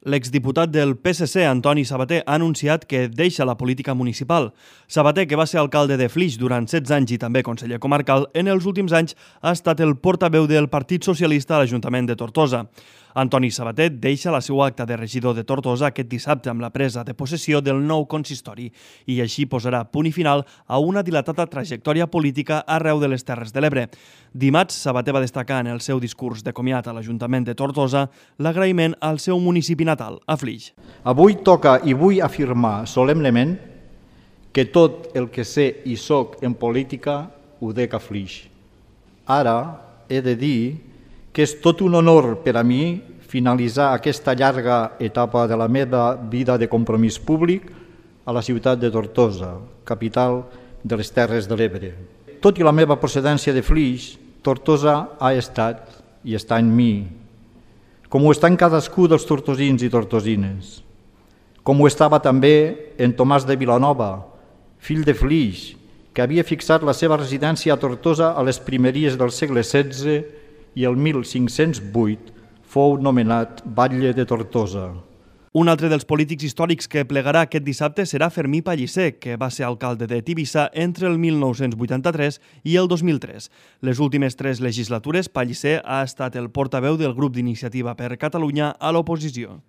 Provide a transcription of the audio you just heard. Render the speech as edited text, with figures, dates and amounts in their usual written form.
L'exdiputat del PSC, Antoni Sabater, ha anunciat que deixa la política municipal. Sabater, que va ser alcalde de Flix durant 16 anys i també conseller comarcal, en els últims anys ha estat el portaveu del Partit Socialista a l'Ajuntament de Tortosa. Antoni Sabater deixa la seva acta de regidor de Tortosa aquest dissabte amb la presa de possessió del nou consistori i així posarà punt i final a una dilatada trajectòria política arreu de les Terres de l'Ebre. Dimarts, Sabater va destacar en el seu discurs de comiat a l'Ajuntament de Tortosa l'agraïment al seu municipi natal, a Flix. Avui toca i vull afirmar solemnement que tot el que sé i soc en política ho dec a Flix. Ara he de dir que és tot un honor per a mi finalitzar aquesta llarga etapa de la meva vida de compromís públic a la ciutat de Tortosa, capital de les Terres de l'Ebre. Tot i la meva procedència de Flix, Tortosa ha estat i està en mi, com ho està en cadascú dels tortosins i tortosines, com ho estava també en Tomàs de Vilanova, fill de Flix, que havia fixat la seva residència a Tortosa a les primeries del segle XVI i el 1508 fou nomenat batlle de Tortosa. Un altre dels polítics històrics que plegarà aquest dissabte serà Fermí Pellicer, que va ser alcalde de Tivissa entre el 1983 i el 2003. Les últimes 3 legislatures, Pellicer ha estat el portaveu del grup d'Iniciativa per Catalunya a l'oposició.